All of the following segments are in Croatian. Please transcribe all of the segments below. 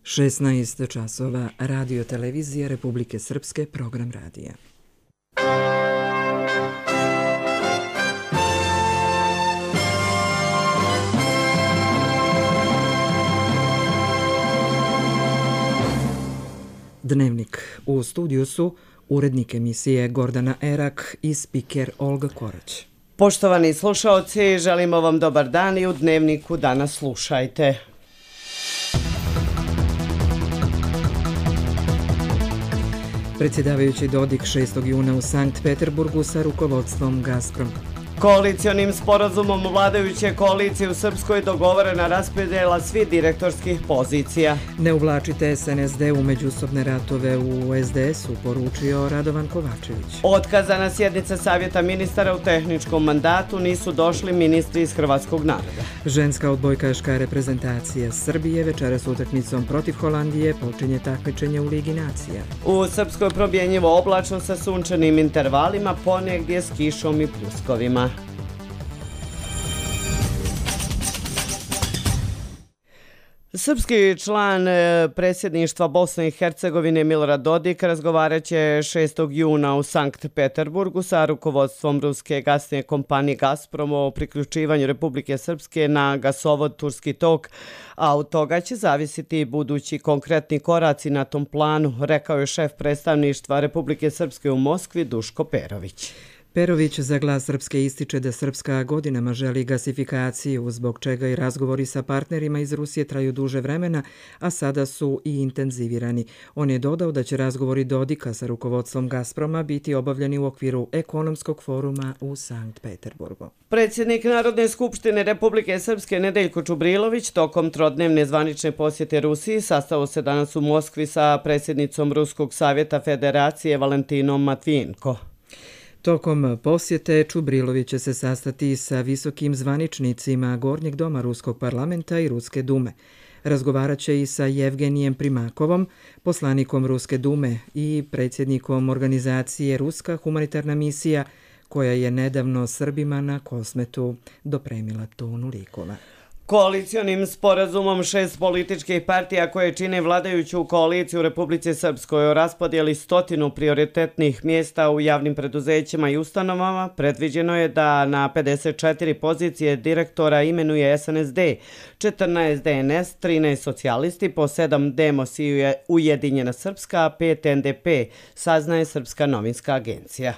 16 časova, Radio televizija Republike Srpske, program radija. Dnevnik. U studiju su urednik emisije Gordana Erak i spiker Olga Korać. Poštovani slušaoci, želimo vam dobar dan i u Dnevniku danas slušajte. Predsjedavajući Dodik 6. juna u Sankt Peterburgu sa rukovodstvom Gazprom. Koalicionim sporazumom vladajuće koalicije u Srpskoj dogovorena raspodjela svih direktorskih pozicija. Ne uvlačite SNSD u međusobne ratove u SDS-u, poručio Radovan Kovačević. Otkazana sjednica Savjeta ministara u tehničkom mandatu, nisu došli ministri iz hrvatskog naroda. Ženska odbojkaška reprezentacija Srbije večeras utakmicom protiv Holandije počinje takmičenje u Ligi nacija. U Srpskoj promjenjivo oblačno sa sunčanim intervalima, ponegdje s kišom i pljuskovima. Srpski član predsjedništva Bosne i Hercegovine Milorad Dodik razgovarat će 6. juna u Sankt Peterburgu sa rukovodstvom ruske gasne kompanije Gazprom o priključivanju Republike Srpske na gasovod Turski tok, a od toga će zavisiti budući konkretni koraci na tom planu, rekao je šef predstavništva Republike Srpske u Moskvi Duško Perović. Perović za Glas Srpske ističe da Srpska godinama želi gasifikaciju, zbog čega i razgovori sa partnerima iz Rusije traju duže vremena, a sada su i intenzivirani. On je dodao da će razgovori Dodika sa rukovodstvom Gazproma biti obavljeni u okviru ekonomskog foruma u Sankt Peterburgu. Predsjednik Narodne skupštine Republike Srpske Nedeljko Čubrilović tokom trodnevne zvanične posjete Rusiji sastao se danas u Moskvi sa predsjednicom Ruskog savjeta federacije Valentinom Matvijenko. Tokom posjete Čubrilović će se sastati sa visokim zvaničnicima Gornjeg doma Ruskog parlamenta i Ruske dume. Razgovarat će i sa Jevgenijem Primakovom, poslanikom Ruske dume i predsjednikom organizacije Ruska humanitarna misija, koja je nedavno Srbima na Kosmetu dopremila tonu likova. Koalicionim sporazumom 6 političkih partija koje čine vladajuću koaliciju u Republici Srpskoj o raspodjeli 100 prioritetnih mjesta u javnim preduzećima i ustanovama predviđeno je da na 54 pozicije direktora imenuje SNSD, 14 DNS, 13 socijalisti, po 7 Demos i Ujedinjena Srpska, a 5 NDP, saznaje Srpska novinska agencija.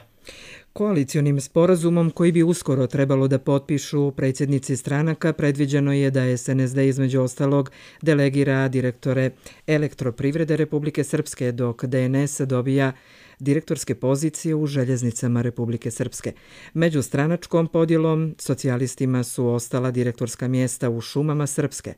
Koalicionim sporazumom koji bi uskoro trebalo da potpišu predsjednici stranaka predviđeno je da SNSD između ostalog delegira direktore Elektroprivrede Republike Srpske, dok DNS dobija direktorske pozicije u željeznicama Republike Srpske. Među stranačkom podjelom socijalistima su ostala direktorska mjesta u šumama Srpske.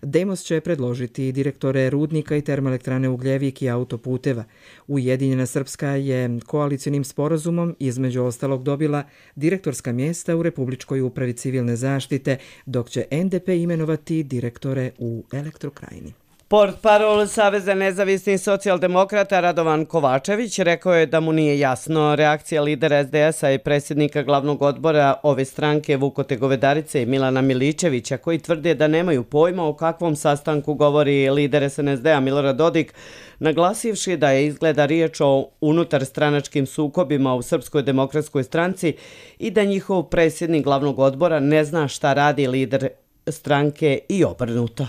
Demos će predložiti direktore rudnika i termoelektrane Ugljevik i autoputeva. Ujedinjena Srpska je koalicionim sporazumom između ostalog dobila direktorska mjesta u Republičkoj upravi civilne zaštite, dok će NDP imenovati direktore u Elektrokrajini. Portparol Saveza nezavisnih socijaldemokrata Radovan Kovačević rekao je da mu nije jasno reakcija lidera SDS-a i predsjednika glavnog odbora ove stranke Vukote Govedarice i Milana Miličevića, koji tvrde da nemaju pojma o kakvom sastanku govori lider SNSD-a Milorad Dodik, naglasivši da je izgleda riječ o unutarstranačkim sukobima u Srpskoj demokratskoj stranci i da njihov predsjednik glavnog odbora ne zna šta radi lider stranke i obrnuto.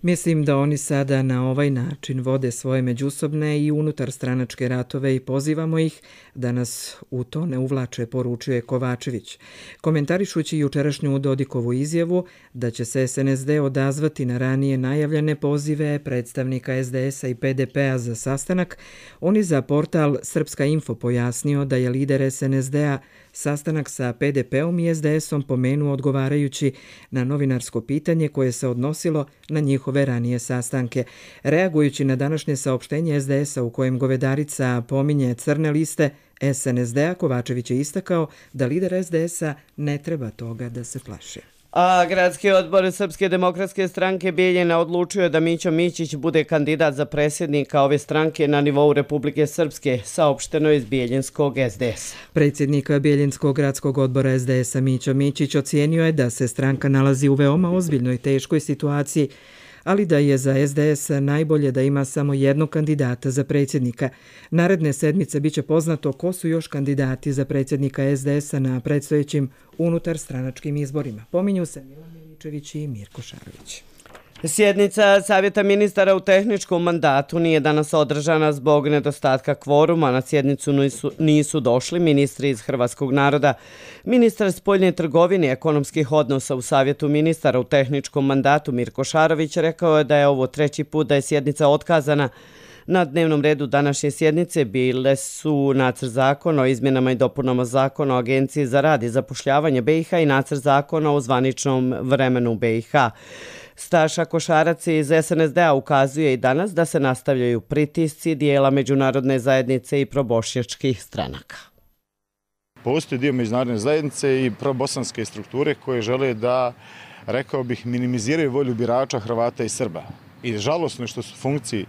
Mislim da oni sada na ovaj način vode svoje međusobne i unutarstranačke ratove i pozivamo ih da nas u to ne uvlače, poručuje Kovačević. Komentarišući jučerašnju Dodikovu izjavu da će se SNSD odazvati na ranije najavljene pozive predstavnika SDS-a i PDP-a za sastanak, on je za portal Srpska info pojasnio da je lider SNSD-a sastanak sa PDP-om i SDS-om pomenuo odgovarajući na novinarsko pitanje koje se odnosilo na njihove ranije sastanke. Reagujući na današnje saopštenje SDS-a u kojem Govedarica pominje crne liste SNSD-a, Kovačević je istakao da lider SDS-a ne treba toga da se plaši. A Gradski odbor Srpske demokratske stranke Bijeljina odlučio je da Mićo Mićić bude kandidat za predsjednika ove stranke na nivou Republike Srpske, saopšteno iz Bijeljinskog SDS-a. Predsjednik Bijeljinskog gradskog odbora SDS-a Mićo Mićić ocijenio je da se stranka nalazi u veoma ozbiljnoj teškoj situaciji, ali da je za SDS najbolje da ima samo jednog kandidata za predsjednika. Naredne sedmice biće poznato ko su još kandidati za predsjednika SDS-a na predstojećim unutarstranačkim izborima. Pominju se Milan Miličević i Mirko Šarović. Sjednica Savjeta ministara u tehničkom mandatu nije danas održana zbog nedostatka kvoruma. Na sjednicu nisu došli ministri iz Hrvatskog naroda. Ministar spoljne trgovine i ekonomskih odnosa u Savjetu ministara u tehničkom mandatu Mirko Šarović rekao je da je ovo treći put da je sjednica otkazana. Na dnevnom redu današnje sjednice bile su nacrt zakona o izmjenama i dopunama zakona o Agenciji za rad i zapošljavanje BiH i nacrt zakona o zvaničnom vremenu BiH. Staša Košarac iz SNSD-a ukazuje i danas da se nastavljaju pritisci dijela međunarodne zajednice i probošnjačkih stranaka. Postoji dio međunarodne zajednice i probosanske strukture koje žele da, rekao bih, minimiziraju volju birača Hrvata i Srba. I žalosno je što su funkciji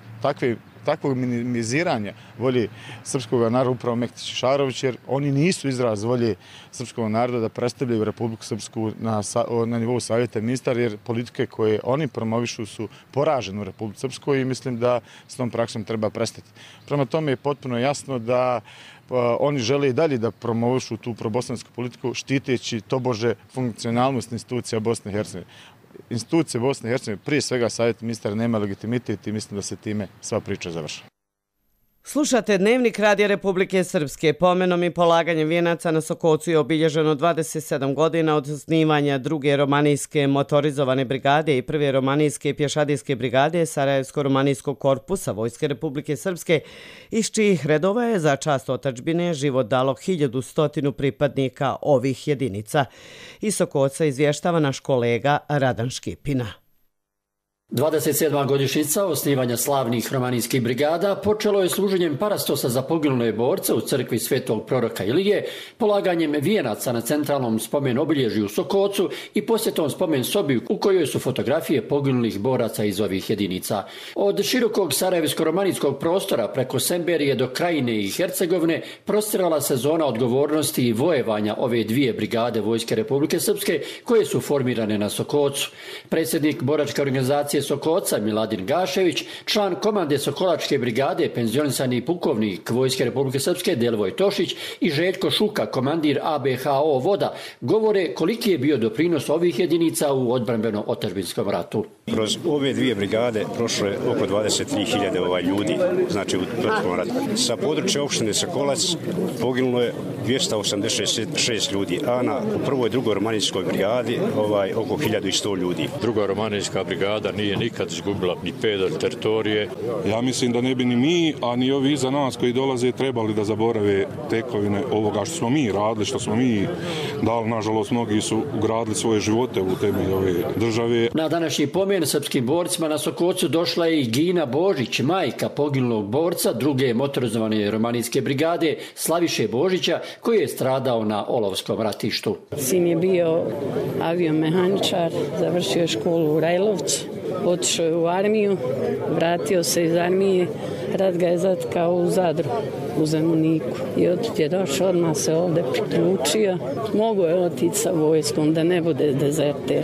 takvog minimiziranja volje srpskog naroda upravo Mektić i Šarović, jer oni nisu izraz volje srpskog naroda da predstavljaju Republiku Srpsku na nivou Savjeta ministara, jer politike koje oni promovišu su poražene u Republiku Srpskoj i mislim da s tom praksom treba prestati. Prema tome je potpuno jasno da oni žele i dalje da promovišu tu probosansku politiku, štiteći tobože funkcionalnost institucija Bosne i Hercegovine. Institucije Bosne i Hercegovine, prije svega Savjet ministara, nema legitimitet i mislim da se time sva priča završava. Slušate Dnevnik Radija Republike Srpske. Pomenom i polaganjem vijenaca na Sokocu je obilježeno 27 godina od osnivanja druge romanijske motorizovane brigade i prve romanijske pješadijske brigade Sarajevsko-romanijskog korpusa Vojske Republike Srpske, iz čijih redova je za čast otadžbine život dalo 1100 pripadnika ovih jedinica. Iz Sokoca izvještava naš kolega Radan Škipina. 27. godišnjica osnivanja slavnih romanijskih brigada počelo je služenjem parastosa za poginule borce u crkvi Svetog proroka Ilije, polaganjem vijenaca na centralnom spomen obilježju u Sokocu i posjetom spomen sobi u kojoj su fotografije poginulih boraca iz ovih jedinica. Od širokog sarajevsko-romanijskog prostora preko Semberije do Krajine i Hercegovine prostirala se zona odgovornosti i vojevanja ove dvije brigade Vojske Republike Srpske koje su formirane na Sokocu. Predsjednik boračke organizacije Sokoca Miladin Gašević, član komande Sokolačke brigade, penzionisani pukovnik Vojske Republike Srpske Delvoj Tošić i Željko Šuka, komandir ABHO Voda, govore koliki je bio doprinos ovih jedinica u odbrambeno-otadžbinskom ratu. Kroz ove dvije brigade prošlo je oko 23.000 ljudi, znači u proteklom ratu. Sa područja opštine Sokolac poginulo je 286 ljudi, a na prvoj i drugoj romanijskoj brigadi oko 1100 ljudi. Druga romanijska brigada nije nikad izgubila ni pedalj teritorije. Ja mislim da ne bi ni mi, a ni ovi iza nas koji dolaze trebali da zaborave tekovine ovoga što smo mi radili, što smo mi dali. Nažalost, mnogi su ugradili svoje živote u temelj ove države. Na današnji pomen srpskim borcima na Sokocu došla je i Gina Božić, majka poginulog borca druge motorizovane romanijske brigade Slaviše Božića, koji je stradao na Olovskom ratištu. Sin je bio aviomehaničar, završio je školu u Rajlovcu, otišao je u armiju, vratio se iz armije, rat ga je zatkao u Zadru, u Zemuniku. I otud je došao, odmah se ovdje priključio. Mogao je otići sa vojskom da ne bude dezerter,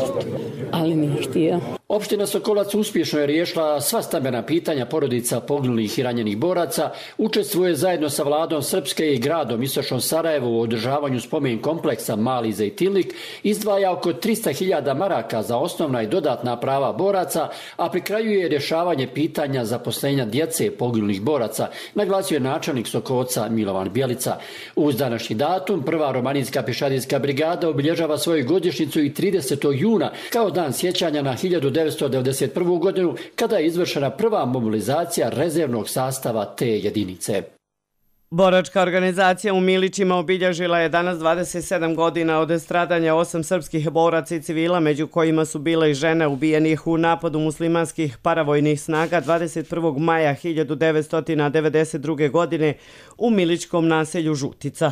ali nije htio. Opština Sokolac uspješno je riješila sva stambena pitanja porodica poginulih i ranjenih boraca, učestvuje zajedno sa vladom Srpske i gradom Istočnom Sarajevu u održavanju spomen kompleksa Mali Zejtinlik, izdvaja oko 300.000 maraka za osnovna i dodatna prava boraca, a pri kraju je rješavanje pitanja zaposlenja djece poginulih boraca, naglasio je načelnik Sokoca Milovan Bjelica. Uz današnji datum prva romanijska pješadijska brigada obilježava svoju godišnjicu i 30. juna kao dan sjećanja na 1991. godinu, kada je izvršena prva mobilizacija rezervnog sastava te jedinice. Boračka organizacija u Milićima obilježila je danas 27 godina od stradanja 8 srpskih boraca i civila, među kojima su bile i žene ubijenih u napadu muslimanskih paravojnih snaga 21. maja 1992. godine u milićkom naselju Žutica.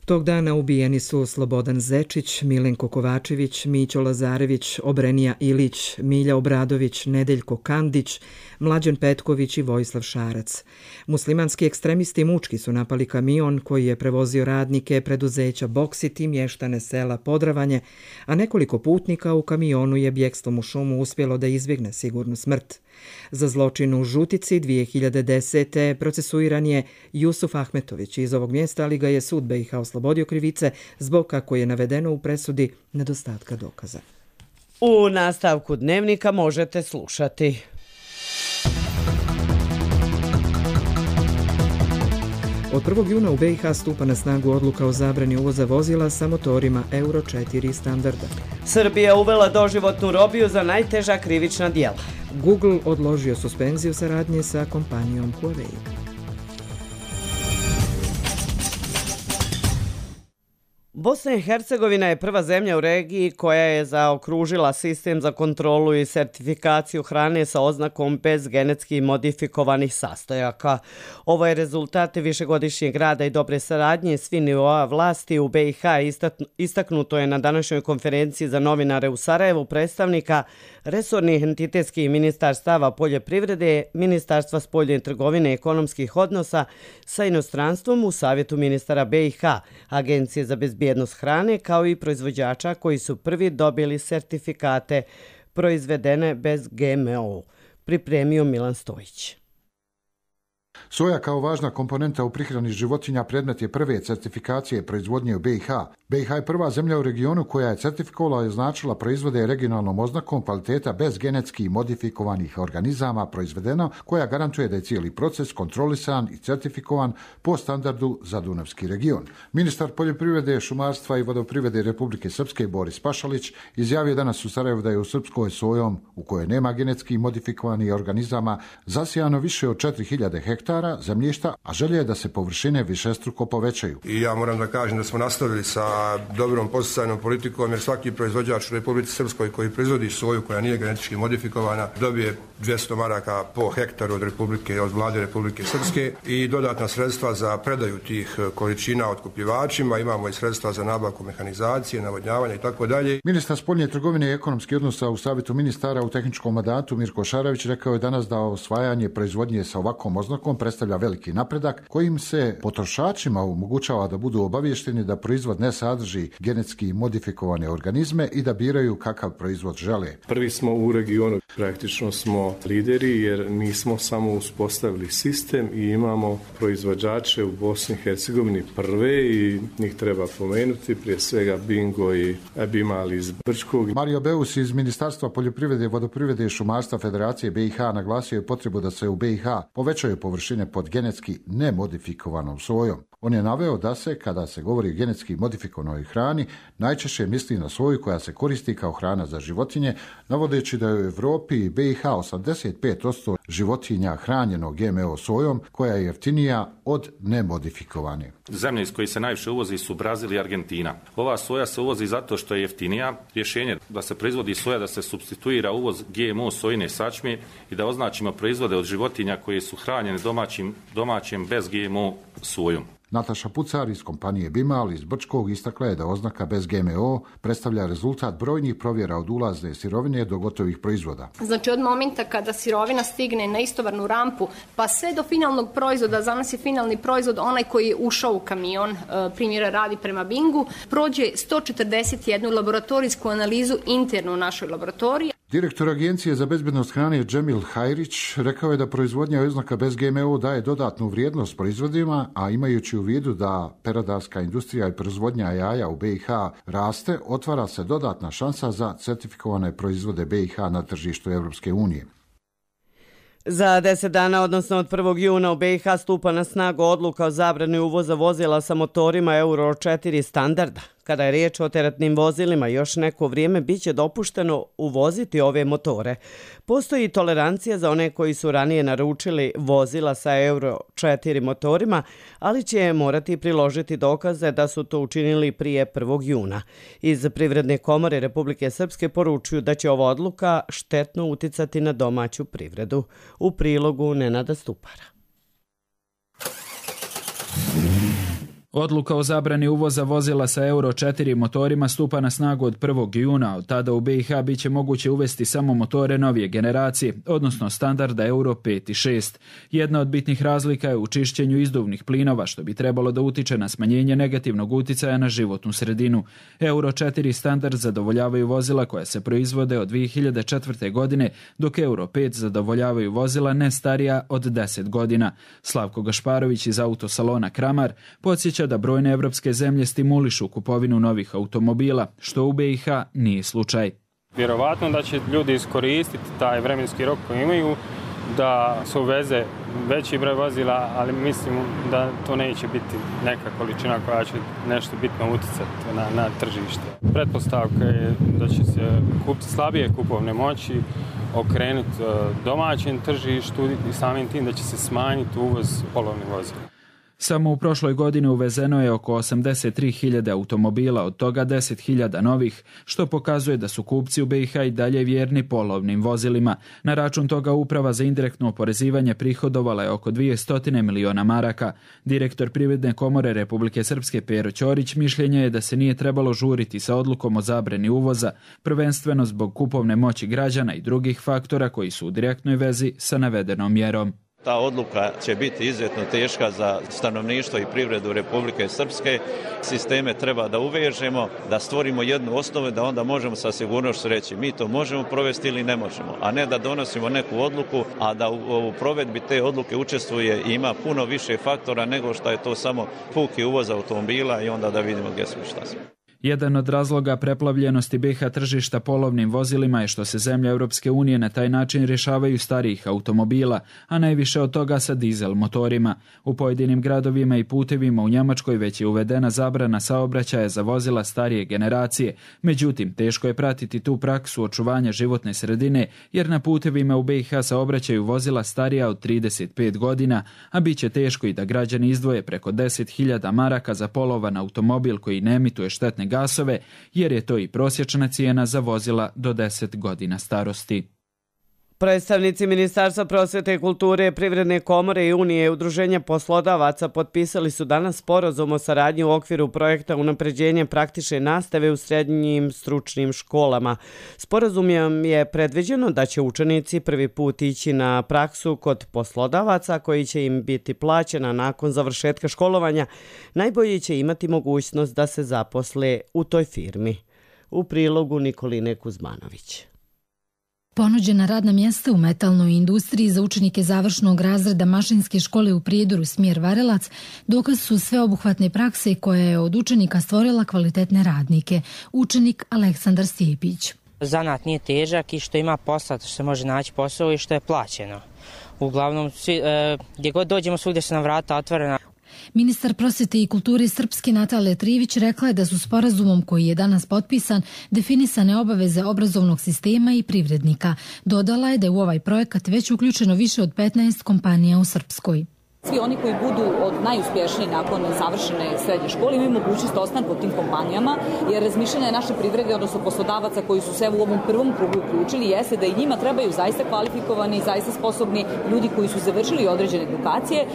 Tog dana ubijeni su Slobodan Zečić, Milenko Kovačević, Mićo Lazarević, Obrenija Ilić, Milja Obradović, Nedeljko Kandić, Mlađan Petković i Vojislav Šarac. Muslimanski ekstremisti mučki su napali kamion koji je prevozio radnike preduzeća Boksit i mještane sela Podravanje, a nekoliko putnika u kamionu je bjegstvom u šumu uspjelo da izbjegne sigurnu smrt. Za zločin u Žutici 2010. procesuiran je Jusuf Ahmetović iz ovog mjesta, ali ga je sud BiH oslobodio krivice zbog, kako je navedeno u presudi, nedostatka dokaza. U nastavku dnevnika možete slušati. Od 1. juna u BiH stupa na snagu odluka o zabrani uvoza vozila sa motorima Euro 4 standarda. Srbija uvela doživotnu robiju za najteža krivična djela. Google odložio suspenziju saradnje sa kompanijom Huawei. Bosna i Hercegovina je prva zemlja u regiji koja je zaokružila sistem za kontrolu i sertifikaciju hrane sa oznakom bez genetski modifikovanih sastojaka. Ovo je rezultat višegodišnjeg rada i dobre saradnje svih nivoa vlasti u BiH. Istaknuto je na današnjoj konferenciji za novinare u Sarajevu predstavnika resornih entitetskih ministarstava poljoprivrede, Ministarstva spoljne trgovine i ekonomskih odnosa sa inostranstvom u Savjetu ministara BiH, Agencije za bezbjednost hrane, kao i proizvođača koji su prvi dobili sertifikate proizvedene bez GMO. Pripremio Milan Stojić. Soja kao važna komponenta u prihrani životinja predmet je prve certifikacije proizvodnje u BiH. BiH je prva zemlja u regionu koja je certifikovala i označila proizvode regionalnom oznakom kvaliteta bez genetski modifikovanih organizama proizvedeno, koja garantuje da je cijeli proces kontrolisan i certifikovan po standardu za Dunavski region. Ministar poljoprivrede, šumarstva i vodoprivrede Republike Srpske Boris Pašalić izjavio danas u Sarajevu da je u Srpskoj sojom, u kojoj nema genetski modifikovanih organizama, zasijano više od 4000 hektara zemljišta, a želje je da se površine višestruko povećaju. I ja moram da kažem da smo nastavili sa dobrom podsticajnom politikom, jer svaki proizvođač u Republici Srpskoj koji proizvodi soju koja nije genetički modifikovana dobije 200 maraka po hektaru od Republike, od vlade Republike Srpske i dodatna sredstva za predaju tih količina otkupljivačima. Imamo i sredstva za nabavku mehanizacije, navodnjavanja i tako dalje. Ministar spoljne trgovine i ekonomskih odnosa u Savjetu ministara u tehničkom mandatu Mirko Šarović rekao je danas da osvajanje proizvodnje sa ovakvom oznakom predstavlja veliki napredak kojim se potrošačima omogućava da budu obavješteni da proizvod ne sadrži genetski modifikovane organizme i da biraju kakav proizvod žele. Prvi smo u regionu, praktično smo lideri jer mi smo samo uspostavili sistem i imamo proizvođače u Bosni i Hercegovini prve i njih treba pomenuti, prije svega Bingo i Bimal iz Brčkog. Mario Beus iz Ministarstva poljoprivrede, vodoprivrede i šumarstva Federacije BiH naglasio je potrebu da se u BiH povećaju površine pod genetski nemodifikovanom sojom. On je naveo da se, kada se govori o genetski modifikovanoj hrani, najčešće misli na soju koja se koristi kao hrana za životinje, navodeći da je u Evropi i BiH 85% životinja hranjeno GMO sojom, koja je jeftinija od nemodifikovane. Zemlje iz koje se najviše uvozi su Brazil i Argentina. Ova soja se uvozi zato što je jeftinija. Rješenje da se proizvodi soja, da se supstituira uvoz GMO sojine sačme i da označimo proizvode od životinja koje su hranjene domaćim bez GMO sojom. Nataša Pucar iz kompanije Bimal iz Brčkog istakla je da oznaka bez GMO predstavlja rezultat brojnih provjera od ulazne sirovine do gotovih proizvoda. Znači od momenta kada sirovina stigne na istovarnu rampu pa sve do finalnog proizvoda, za nas je finalni proizvod onaj koji je ušao u kamion, primjera radi prema Bingu, prođe 141 laboratorijsku analizu internu u našoj laboratoriji. Direktor Agencije za bezbjednost hrane Džemil Hajrić rekao je da proizvodnja oznaka bez GMO daje dodatnu vrijednost proizvodima, a imajući u vidu da peradarska industrija i proizvodnja jaja u BiH raste, otvara se dodatna šansa za certifikovane proizvode BiH na tržištu Evropske unije. Za 10 dana, odnosno od 1. juna u BiH stupa na snagu odluka o zabrani uvoza vozila sa motorima Euro 4 standarda. Kada je riječ o teretnim vozilima, još neko vrijeme biće dopušteno uvoziti ove motore. Postoji tolerancija za one koji su ranije naručili vozila sa Euro 4 motorima, ali će morati priložiti dokaze da su to učinili prije 1. juna. Iz Privredne komore Republike Srpske poručuju da će ova odluka štetno uticati na domaću privredu. U prilogu Nenada Stupara. Odluka o zabrani uvoza vozila sa Euro 4 motorima stupa na snagu od 1. juna. Od tada u BiH bit će moguće uvesti samo motore novije generacije, odnosno standarda Euro 5 i 6. Jedna od bitnih razlika je u čišćenju izduvnih plinova, što bi trebalo da utiče na smanjenje negativnog uticaja na životnu sredinu. Euro 4 standard zadovoljavaju vozila koja se proizvode od 2004. godine, dok Euro 5 zadovoljavaju vozila ne starija od 10 godina. Slavko Gašparović iz autosalona Kramar podsjeća da brojne evropske zemlje stimulišu kupovinu novih automobila, što u BiH nije slučaj. Vjerovatno da će ljudi iskoristiti taj vremenski rok koji imaju, da se uveze veći broj vozila, ali mislim da to neće biti neka količina koja će nešto bitno utjecati na tržište. Pretpostavka je da će se kupci slabije kupovne moći okrenuti domaćem tržištu i samim tim da će se smanjiti uvoz polovnih vozila. Samo u prošloj godini uvezeno je oko 83.000 automobila, od toga 10.000 novih, što pokazuje da su kupci u BiH i dalje vjerni polovnim vozilima. Na račun toga Uprava za indirektno oporezivanje prihodovala je oko 200 miliona maraka. Direktor Privredne komore Republike Srpske Pero Ćorić mišljenja je da se nije trebalo žuriti sa odlukom o zabrani uvoza, prvenstveno zbog kupovne moći građana i drugih faktora koji su u direktnoj vezi sa navedenom mjerom. Ta odluka će biti izuzetno teška za stanovništvo i privredu Republike Srpske. Sisteme treba da uvežemo, da stvorimo jednu osnovu da onda možemo sa sigurnošću reći mi to možemo provesti ili ne možemo, a ne da donosimo neku odluku, a da u provedbi te odluke učestvuje i ima puno više faktora nego što je to samo puki uvoz automobila i onda da vidimo gdje smo i šta smo. Jedan od razloga preplavljenosti BiH tržišta polovnim vozilima je što se zemlje Europske unije na taj način rješavaju starijih automobila, a najviše od toga sa dizel motorima. U pojedinim gradovima i putevima u Njemačkoj već je uvedena zabrana saobraćaja za vozila starije generacije. Međutim, teško je pratiti tu praksu očuvanja životne sredine, jer na putevima u BiH saobraćaju vozila starija od 35 godina, a bit će teško i da građani izdvoje preko 10.000 maraka za polovan automobil koji ne emituje štetne gasove, jer je to i prosječna cijena za vozila do 10 godina starosti. Predstavnici Ministarstva prosvete, kulture, Privredne komore i Unije udruženja poslodavaca potpisali su danas sporazum o saradnji u okviru projekta unapređenja praktične nastave u srednjim stručnim školama. Sporazumom je predviđeno da će učenici prvi put ići na praksu kod poslodavaca koji će im biti plaćena nakon završetka školovanja. Najbolji će imati mogućnost da se zaposle u toj firmi. U prilogu Nikoline Kuzmanović. Ponuđena radna mjesta u metalnoj industriji za učenike završnog razreda mašinske škole u Prijedoru smjer Varelac dokaz su sveobuhvatne prakse koja je od učenika stvorila kvalitetne radnike. Učenik Aleksandar Stjepić. Zanat nije težak i što ima posla, što se može naći posao i što je plaćeno. Uglavnom, gdje god dođemo, svugdje su nam vrata otvorena. Ministar prosvete i kulture Srpske Natalija Trivić rekla je da su sporazumom koji je danas potpisan definisane obaveze obrazovnog sistema i privrednika. Dodala je da je u ovaj projekat već uključeno više od 15 kompanija u Srpskoj. Svi oni koji budu od najuspješniji nakon završene srednje škole imaju mogućnost ostanka u tim kompanijama, jer razmišljanje naše privrede, odnosno poslodavaca koji su se u ovom prvom krugu uključili, jeste da i njima trebaju zaista kvalifikovani i zaista sposobni ljudi koji su završili određene edukacije.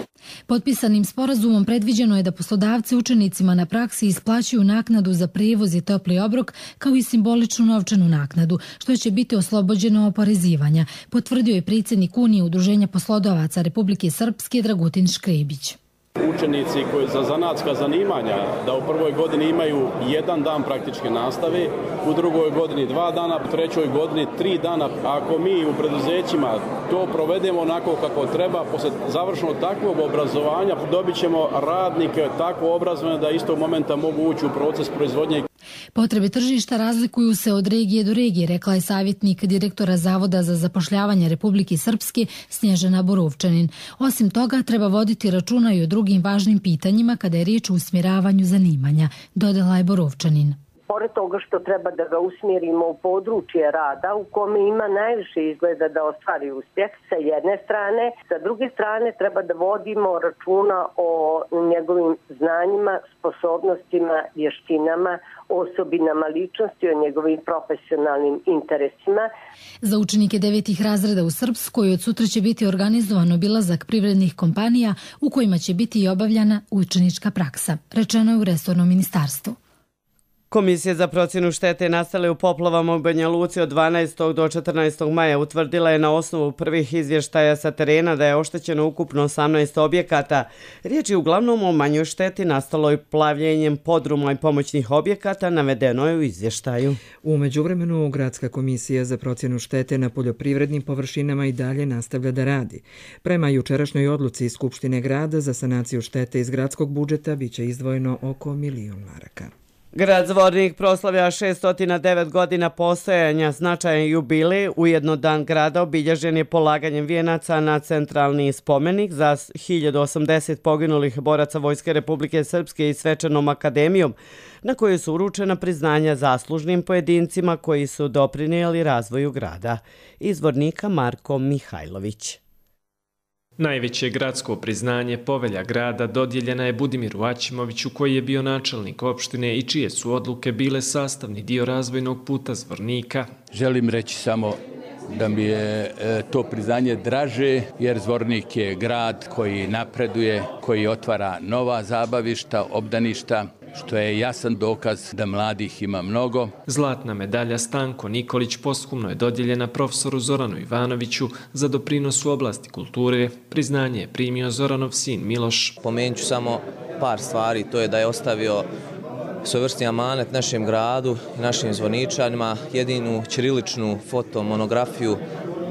Potpisanim sporazumom predviđeno je da poslodavci učenicima na praksi isplaćuju naknadu za prijevoz i topli obrok kao i simboličnu novčanu naknadu, što će biti oslobođeno oporezivanja, potvrdio je predsjednik Unije udruženja poslodavaca Republike Srpske Dragutin Škrebić. Učenici koji za zanatska zanimanja da u prvoj godini imaju 1 dan praktičke nastave, u drugoj godini 2 dana, u trećoj godini 3 dana. Ako mi u preduzećima to provedemo onako kako treba, posle završenog takvog obrazovanja dobit ćemo radnike tako obrazovane da istog momenta mogu ući u proces proizvodnje. Potrebe tržišta razlikuju se od regije do regije, rekla je savjetnik direktora Zavoda za zapošljavanje Republike Srpske Snježana Borovčanin. Osim toga, treba voditi računa i o drugim važnim pitanjima kada je riječ o usmjeravanju zanimanja, dodala je Borovčanin. pored toga što treba da ga usmjerimo u područje rada u kome ima najviše izgleda da ostvari uspjeh sa jedne strane, sa druge strane treba da vodimo računa o njegovim znanjima, sposobnostima, vještinama, osobinama ličnosti, o njegovim profesionalnim interesima. Za učenike 9. razreda u Srpskoj od sutra će biti organizovan obilazak privrednih kompanija u kojima će biti i obavljana učenička praksa, rečeno je u resornom ministarstvu. Komisija za procjenu štete nastale u poplavama u Banja Luci od 12. do 14. maja utvrdila je na osnovu prvih izvještaja sa terena da je oštećeno ukupno 18 objekata. Riječ je uglavnom o manjoj šteti nastaloj plavljenjem podruma i pomoćnih objekata, navedeno je u izvještaju. U međuvremenu, Gradska komisija za procjenu štete na poljoprivrednim površinama i dalje nastavlja da radi. Prema jučerašnjoj odluci iz Skupštine grada za sanaciju štete iz gradskog budžeta biće izdvojeno oko 1 milion maraka. Grad Zvornik proslavlja 609 godina postojanja, značajan jubilej, ujedno dan grada obilježen je polaganjem vijenaca na centralni spomenik za 1080 poginulih boraca Vojske Republike Srpske i svečanom akademijom, na kojoj su uručena priznanja zaslužnim pojedincima koji su doprinijeli razvoju grada. Iz Zvornika Marko Mihajlović. Najveće gradsko priznanje povelja grada dodijeljena je Budimiru Aćimoviću, koji je bio načelnik opštine i čije su odluke bile sastavni dio razvojnog puta Zvornika. Želim reći samo da mi je to priznanje draže, jer Zvornik je grad koji napreduje, koji otvara nova zabavišta, obdaništa, što je jasan dokaz da mladih ima mnogo. Zlatna medalja Stanko Nikolić posthumno je dodijeljena profesoru Zoranu Ivanoviću za doprinos u oblasti kulture. Priznanje je primio Zoranov sin Miloš. Pomenut ću samo par stvari, to je da je ostavio svojevrsni amanet našem gradu i našim zvorničanima, jedinu ćiriličnu fotomonografiju,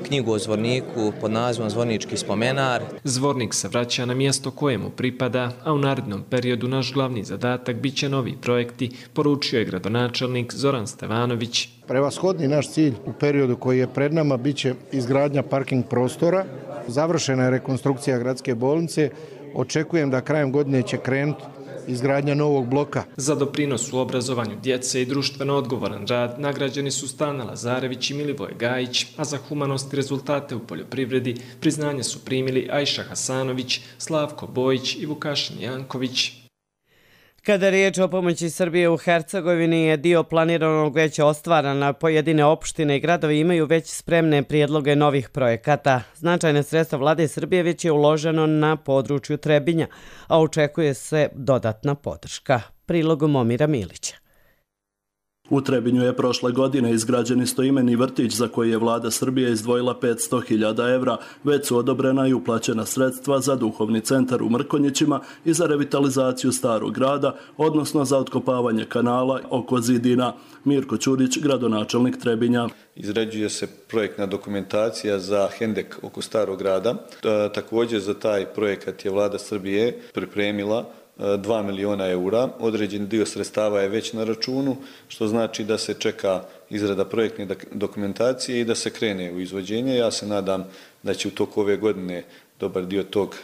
knjigu o Zvorniku pod nazivom Zvornički spomenar. Zvornik se vraća na mjesto kojemu pripada, a u narednom periodu naš glavni zadatak biće novi projekti, poručio je gradonačelnik Zoran Stevanović. Prevashodni naš cilj u periodu koji je pred nama biće izgradnja parking prostora, završena je rekonstrukcija gradske bolnice, očekujem da krajem godine će krenuti izgradnja novog bloka. Za doprinos u obrazovanju djece i društveno odgovoran rad nagrađeni su Stana Lazarević i Milivoje Gajić, a za humanost i rezultate u poljoprivredi priznanje su primili Ajša Hasanović, Slavko Bojić i Vukašin Janković. Kada je riječ o pomoći Srbije u Hercegovini, je dio planiranog već ostvaran, a pojedine opštine i gradovi imaju već spremne prijedloge novih projekata. Značajne sredstva vlade Srbije već je uloženo na području Trebinja, a očekuje se dodatna podrška. Prilogom Momira Milića. U Trebinju je prošle godine izgrađen istoimeni vrtić za koji je vlada Srbije izdvojila 500.000 evra, već su odobrena i uplaćena sredstva za duhovni centar u Mrkonjićima i za revitalizaciju starog grada, odnosno za otkopavanje kanala oko zidina. Mirko Ćurić, gradonačelnik Trebinja. Izrađuje se projektna dokumentacija za hendek oko starog grada. Također za taj projekat je vlada Srbije pripremila 2 miliona eura. Određen dio sredstava je već na računu, što znači da se čeka izrada projektne dokumentacije i da se krene u izvođenje. Ja se nadam da će u toku ove godine dobar dio tog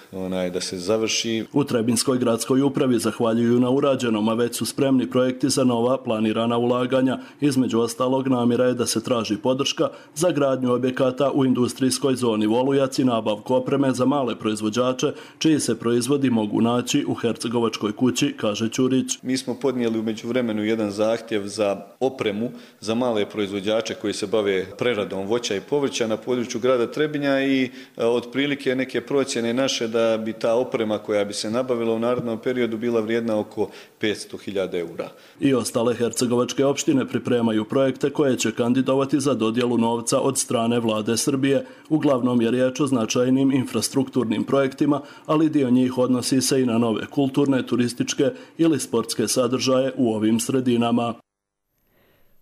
da se završi. U Trebinskoj gradskoj upravi zahvaljuju na urađenom, a već su spremni projekti za nova planirana ulaganja. Između ostalog, namjera je da se traži podrška za gradnju objekata u industrijskoj zoni Volujac i nabavku opreme za male proizvođače, čiji se proizvodi mogu naći u Hercegovačkoj kući, kaže Ćurić. Mi smo podnijeli u međuvremenu jedan zahtjev za opremu za male proizvođače koji se bave preradom voća i povrća na području grada Trebinja i otprilike neke procjene naše da bi ta oprema koja bi se nabavila u narednom periodu bila vrijedna oko 500.000 eura. I ostale hercegovačke opštine pripremaju projekte koje će kandidovati za dodjelu novca od strane vlade Srbije. Uglavnom je riječ o značajnim infrastrukturnim projektima, ali dio njih odnosi se i na nove kulturne, turističke ili sportske sadržaje u ovim sredinama.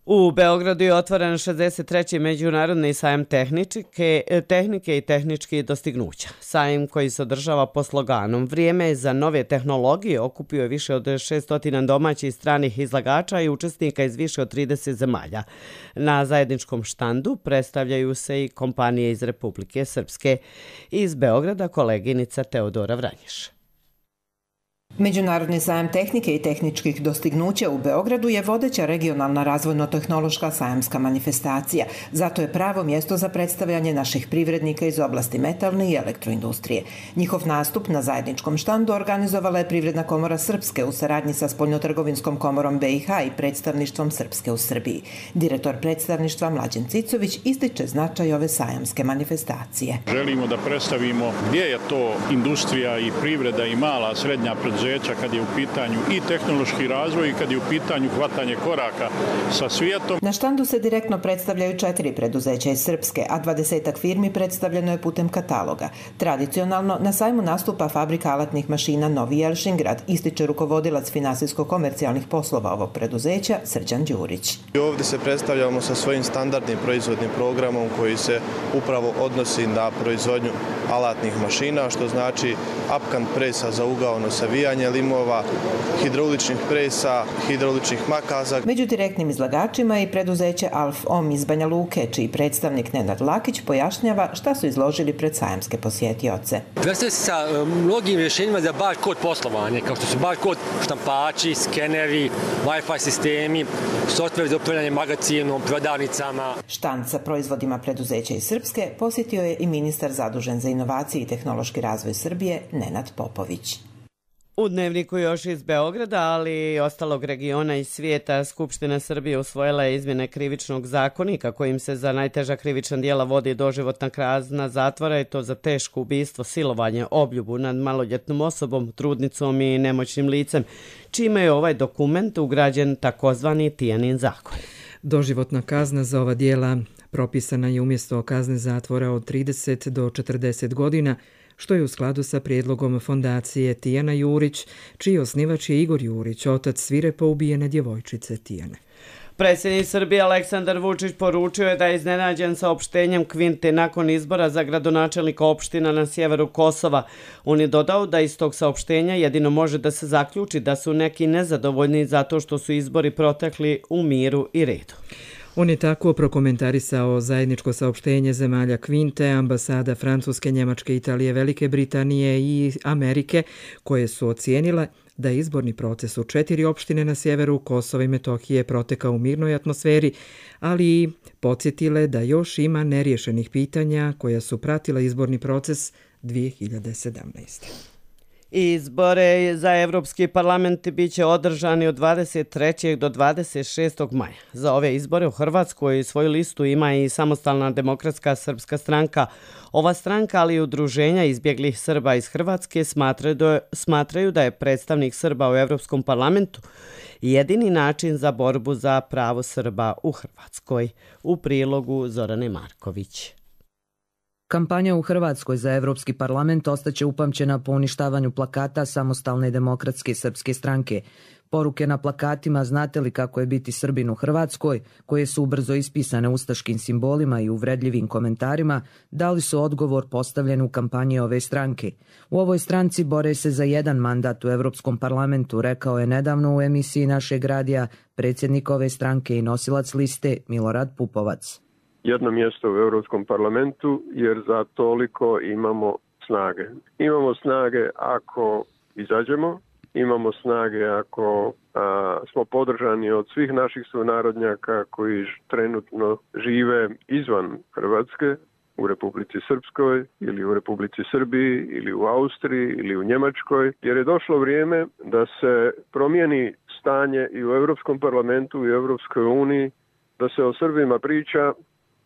U Beogradu je otvoren 63. međunarodni sajam tehnike i tehničkih dostignuća. Sajam koji se održava po sloganom "Vrijeme za nove tehnologije" okupio je više od 600 domaćih i stranih izlagača i učesnika iz više od 30 zemalja. Na zajedničkom štandu predstavljaju se i kompanije iz Republike Srpske. Iz Beograda koleginica Teodora Vranješ. Međunarodni sajam tehnike i tehničkih dostignuća u Beogradu je vodeća regionalna razvojno-tehnološka sajamska manifestacija. Zato je pravo mjesto za predstavljanje naših privrednika iz oblasti metalne i elektroindustrije. Njihov nastup na zajedničkom štandu organizovala je Privredna komora Srpske u saradnji sa Spoljnotrgovinskom komorom BiH i predstavništvom Srpske u Srbiji. Direktor predstavništva Mlađen Cicović ističe značaj ove sajamske manifestacije. Želimo da predstavimo gdje je to industrija i privreda i mala, srednja preduzeća kad je u pitanju i tehnološki razvoj i kad je u pitanju hvatanje koraka sa svijetom. Na štandu se direktno predstavljaju 4 preduzeća iz Srpske, a 20 firmi predstavljeno je putem kataloga. Tradicionalno na sajmu nastupa fabrika alatnih mašina Novi Jelšingrad, ističe rukovodilac finansijsko-komercijalnih poslova ovog preduzeća Srđan Đurić. Ovdje se predstavljamo sa svojim standardnim proizvodnim programom koji se upravo odnosi na proizvodnju alatnih mašina, što znači upkant presa za ugaono savijanje limova, hidrauličnih presa, hidrauličnih makaza. Među direktnim izlagačima je i preduzeće Alf-Om iz Banja Luke, čiji predstavnik Nenad Lakić pojašnjava šta su izložili pred sajamske posjetioce. Predstavlja se sa mnogim rješenjima za barkod poslovanje, kao što su barkod štampači, skeneri, Wi-Fi sistemi, softver za upravljanje magacinom, prodavnicama. Štand sa proizvodima preduzeća iz Srpske posjetio je i ministar zadužen za inovacije i tehnološki razvoj Srbije, Nenad Popović. U Dnevniku još iz Beograda, ali i ostalog regiona i svijeta, Skupština Srbije usvojila je izmjene krivičnog zakonika kojim se za najteža krivična djela vodi doživotna kazna zatvora i to za teško ubistvo, silovanje, obljubu nad maloljetnom osobom, trudnicom i nemoćnim licem, čime je ovaj dokument ugrađen takozvani Tijanin zakon. Doživotna kazna za ova djela propisana je umjesto kazne zatvora od 30 do 40 godina, što je u skladu sa prijedlogom fondacije Tijana Jurić, čiji osnivač je Igor Jurić, otac svirepo ubijene djevojčice Tijane. Predsjednik Srbije Aleksandar Vučić poručio je da je iznenađen saopštenjem Kvinte nakon izbora za gradonačelnika opština na sjeveru Kosova. On je dodao da iz tog saopštenja jedino može da se zaključi da su neki nezadovoljni zato što su izbori protekli u miru i redu. On je tako prokomentarisao zajedničko saopštenje zemalja Kvinte, ambasada Francuske, Njemačke, Italije, Velike Britanije i Amerike, koje su ocijenile da je izborni proces u 4 opštine na sjeveru Kosova i Metohije protekao u mirnoj atmosferi, ali i podsjetile da još ima neriješenih pitanja koja su pratila izborni proces 2017. Izbore za Evropski parlament biće održani od 23. do 26. maja. Za ove izbore u Hrvatskoj svoju listu ima i Samostalna demokratska srpska stranka. Ova stranka, ali i udruženja izbjeglih Srba iz Hrvatske smatraju da je predstavnik Srba u Evropskom parlamentu jedini način za borbu za pravo Srba u Hrvatskoj. U prilogu Zorane Marković. Kampanja u Hrvatskoj za Evropski parlament ostaće upamćena po uništavanju plakata Samostalne demokratske srpske stranke. Poruke na plakatima "Znate li kako je biti Srbin u Hrvatskoj", koje su ubrzo ispisane ustaškim simbolima i uvredljivim komentarima, dali su odgovor postavljen u kampanji ove stranke. U ovoj stranci bore se za jedan mandat u Evropskom parlamentu, rekao je nedavno u emisiji našeg radija predsjednik ove stranke i nosilac liste Milorad Pupovac. Jedno mjesto u Europskom parlamentu jer za toliko imamo snage. Imamo snage ako izađemo, imamo snage ako smo podržani od svih naših sunarodnjaka koji trenutno žive izvan Hrvatske, u Republici Srpskoj ili u Republici Srbiji ili u Austriji ili u Njemačkoj, jer je došlo vrijeme da se promijeni stanje i u Europskom parlamentu i u Europskoj uniji, da se o Srbima priča,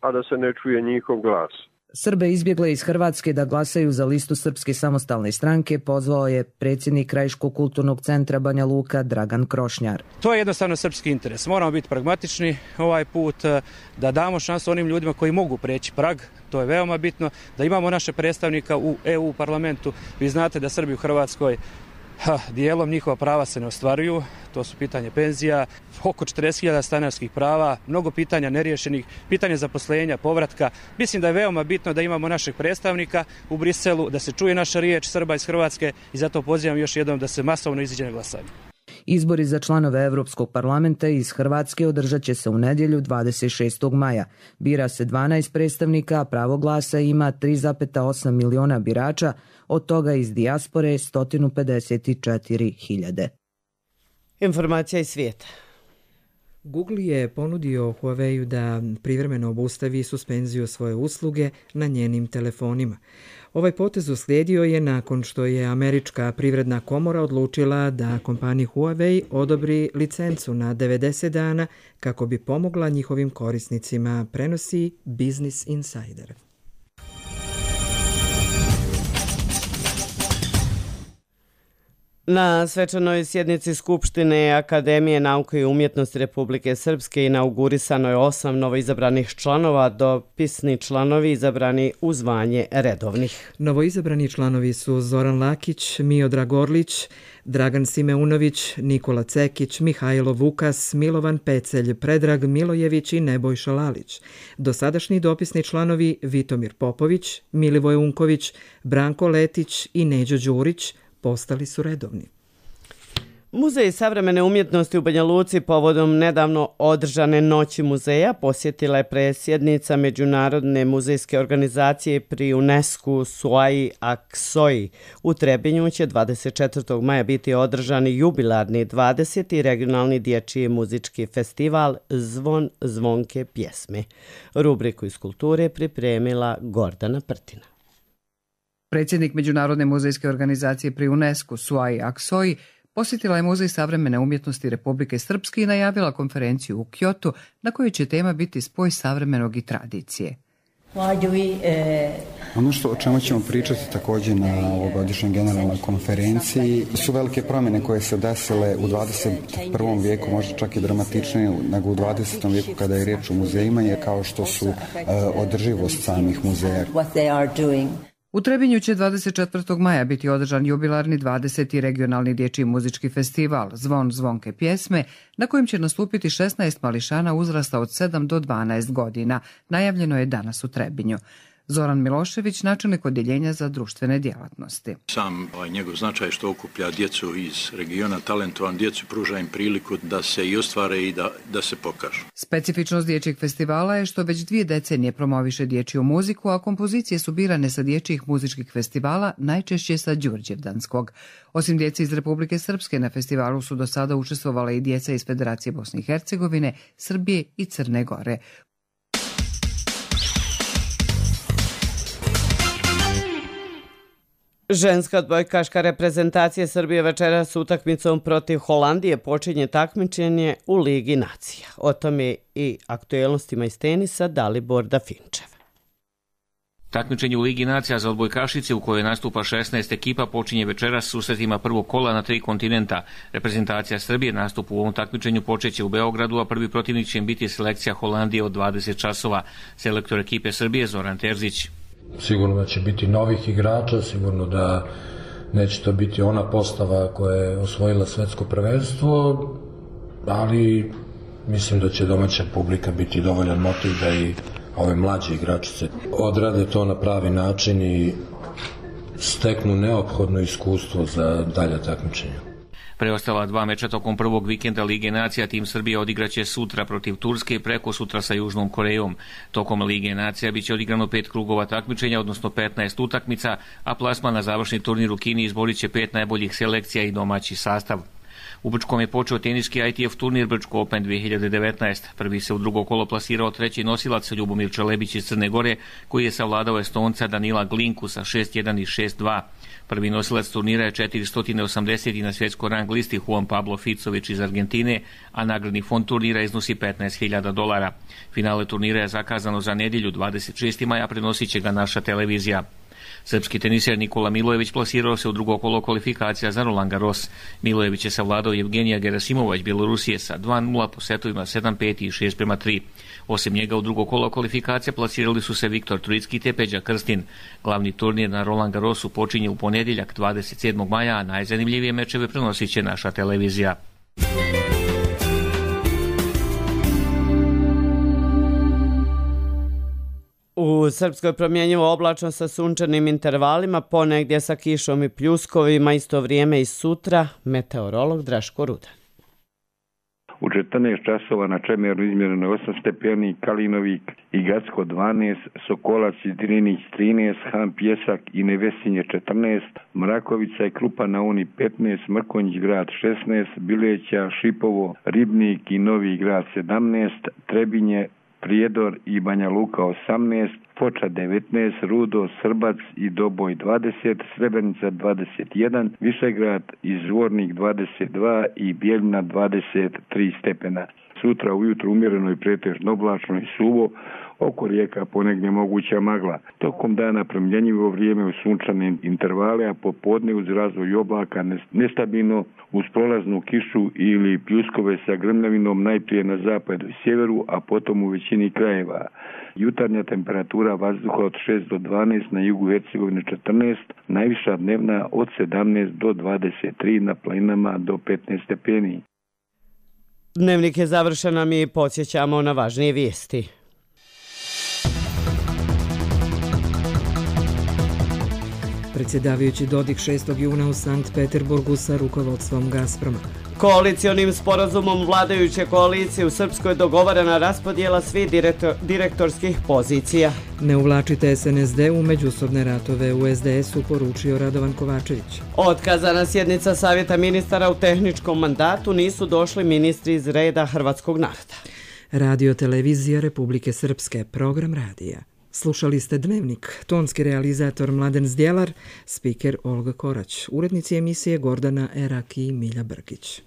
a da se ne čuje njihov glas. Srbe izbjegle iz Hrvatske da glasaju za listu Srpske samostalne stranke pozvao je predsjednik Krajiškog kulturnog centra Banja Luka Dragan Krošnjar. To je jednostavno srpski interes. Moramo biti pragmatični ovaj put, da damo šansu onim ljudima koji mogu preći prag. To je veoma bitno, da imamo naše predstavnika u EU parlamentu. Vi znate da Srbi u Hrvatskoj dijelom njihova prava se ne ostvaruju, to su pitanje penzija, oko 40.000 stanarskih prava, mnogo pitanja neriješenih, pitanje zaposlenja, povratka. Mislim da je veoma bitno da imamo našeg predstavnika u Briselu, da se čuje naša riječ Srba iz Hrvatske i zato pozivam još jednom da se masovno iziđe na glasanje. Izbori za članove Evropskog parlamenta iz Hrvatske održat će se u nedjelju 26. maja. Bira se 12 predstavnika, a pravo glasa ima 3,8 miliona birača, od toga iz dijaspore 154.000. Informacija iz svijeta. Google je ponudio Huawei da privremeno obustavi suspenziju svoje usluge na njenim telefonima. Ovaj potez uslijedio je nakon što je Američka privredna komora odlučila da kompaniji Huawei odobri licencu na 90 dana kako bi pomogla njihovim korisnicima, prenosi Business Insider. Na svečanoj sjednici Skupštine Akademije nauke i umjetnosti Republike Srpske inaugurisano je 8 novoizabranih članova, dopisni članovi izabrani u zvanje redovnih. Novoizabrani članovi su Zoran Lakić, Miodrag Orlić, Dragan Simeunović, Nikola Cekić, Mihajlo Vukas, Milovan Pecelj, Predrag Milojević i Nebojša Lalić. Dosadašnji dopisni članovi Vitomir Popović, Milivoj Unković, Branko Letić i Neđo Đurić postali su redovni. Muzej savremene umjetnosti u Banja Luci povodom nedavno održane noći muzeja posjetila je predsjednica Međunarodne muzejske organizacije pri UNESCO Suai Aksoi. U Trebinju će 24. maja biti održani jubilarni 20. regionalni dječji muzički festival Zvon zvonke pjesme. Rubriku iz kulture pripremila Gordana Prtina. Predsjednik Međunarodne muzejske organizacije pri UNESCO Suai Aksoi posjetila je Muzej savremene umjetnosti Republike Srpske i najavila konferenciju u Kyotu na kojoj će tema biti spoj savremenog i tradicije. Ono o čemu ćemo pričati također na ovogodišnjoj generalnoj konferenciji su velike promjene koje se desile u 21. vijeku, možda čak i dramatičnije nego u 20. vijeku kada je riječ o muzejima, je kao što su održivost samih muzeja. U Trebinju će 24. maja biti održan jubilarni 20. regionalni dječji muzički festival Zvon zvonke pjesme, na kojem će nastupiti 16 mališana uzrasta od 7 do 12 godina. Najavljeno je danas u Trebinju. Zoran Milošević, načelnik odjeljenja za društvene djelatnosti. Sam njegov značaj što okuplja djecu iz regiona, talentovan djecu, pruža im priliku da se i ostvare i da se pokažu. Specifičnost dječjeg festivala je što već 2 decenije promoviše dječju muziku, a kompozicije su birane sa dječjih muzičkih festivala, najčešće sa Đurđevdanskog. Osim djece iz Republike Srpske, na festivalu su do sada učestvovala i djeca iz Federacije Bosne i Hercegovine, Srbije i Crne Gore. Ženska odbojkaška reprezentacija Srbije večeras s utakmicom protiv Holandije počinje takmičenje u Ligi nacija. O tome i aktuelnostima iz tenisa Dalibor Dafinčev. Takmičenje u Ligi nacija za odbojkašice u kojoj nastupa 16 ekipa počinje večeras susretima prvog kola na 3 kontinenta. Reprezentacija Srbije nastup u ovom takmičenju počeće u Beogradu, a prvi protivnik će biti selekcija Holandije od 20 časova. Selektor ekipe Srbije Zoran Terzić. Sigurno da će biti novih igrača, sigurno da neće to biti ona postava koja je osvojila svetsko prvenstvo, ali mislim da će domaća publika biti dovoljan motiv da i ove mlađe igračice odrade to na pravi način i steknu neophodno iskustvo za dalje takmičenje. Preostala 2 meča tokom prvog vikenda Lige nacija tim Srbije odigraće sutra protiv Turske i preko sutra sa Južnom Korejom. Tokom Lige nacija biće odigrano 5 krugova takmičenja, odnosno 15 utakmica, a plasman na završni turnir u Kini izborit će 5 najboljih selekcija i domaći sastav. U Brčkom je počeo teniski ITF turnir Brčko Open 2019. Prvi se u drugo kolo plasirao treći nosilac Ljubomir Čelebić iz Crne Gore, koji je savladao Estonca Danila Glinku sa 6-1 i 6-2. Prvi nosilac turnira je 480. na svjetskoj rang listi Juan Pablo Ficović iz Argentine, a nagradni fond turnira iznosi $15.000. Finale turnira je zakazano za nedjelju 26. maja, prenosit će ga naša televizija. Srpski teniser Nikola Milojević plasirao se u drugo kolo kvalifikacija za Roland Garros. Milojević je savladao Evgenija Gerasimova iz Bjelorusije sa 2-0 po setovima 7-5 i 6-3. Osim njega u drugo kolo kvalifikacija plasirali su se Viktor Trojicki te Peđa Krstin. Glavni turnir na Roland Garrosu počinje u ponedjeljak 27. maja, a najzanimljivije mečeve prenosit će naša televizija. U Srpskoj promjenjivo oblačno sa sunčanim intervalima, ponegdje sa kišom i pljuskovima, isto vrijeme i sutra, meteorolog Draško Rudan. u 14 časova na Čemeru izmjereno je 8 stepeni, Kalinovik i Gacko 12, Sokolac i Drinić 13, Han Pjesak i Nevesinje 14, Mrakovica i Krupa na Uni 15, Mrkonjić grad 16, Bileća, Šipovo, Ribnik i Novi grad 17, Trebinje, Prijedor i Banja Luka 18, Foča 19, Rudo, Srbac i Doboj 20, Srebrenica 21, Višegrad i Zvornik 22 i Bijeljina 23 stepena. Sutra ujutro umjereno i pretežno oblačno i suvo, oko rijeka ponegdje moguća magla. Tokom dana promjenjivo vrijeme u sunčane intervale, a popodne uz razvoj oblaka nestabilno uz prolaznu kišu ili pljuskove sa grmljavinom najprije na zapadu i sjeveru, a potom u većini krajeva. Jutarnja temperatura vazduha od 6 do 12, na jugu Hercegovine 14, najviša dnevna od 17 do 23, na planinama do 15 stepeni. Dnevnik je završen, a mi podsjećamo na važnije vijesti. Predsjedavajući Dodik 6. juna u Sankt Peterburgu sa rukovodstvom Gazproma. Koalicionim sporazumom vladajuće koalicije u Srpskoj dogovorena raspodjela svih direktorskih pozicija. Ne uvlačite SNSD u međusobne ratove u SDS-u, poručio Radovan Kovačević. Otkazana sjednica Savjeta ministara u tehničkom mandatu, nisu došli ministri iz reda hrvatskog naroda. Radio Televizija Republike Srpske, program radija. Slušali ste Dnevnik, tonski realizator Mladen Zdjelar, spiker Olga Korać, urednici emisije Gordana Erak i Milja Brkić.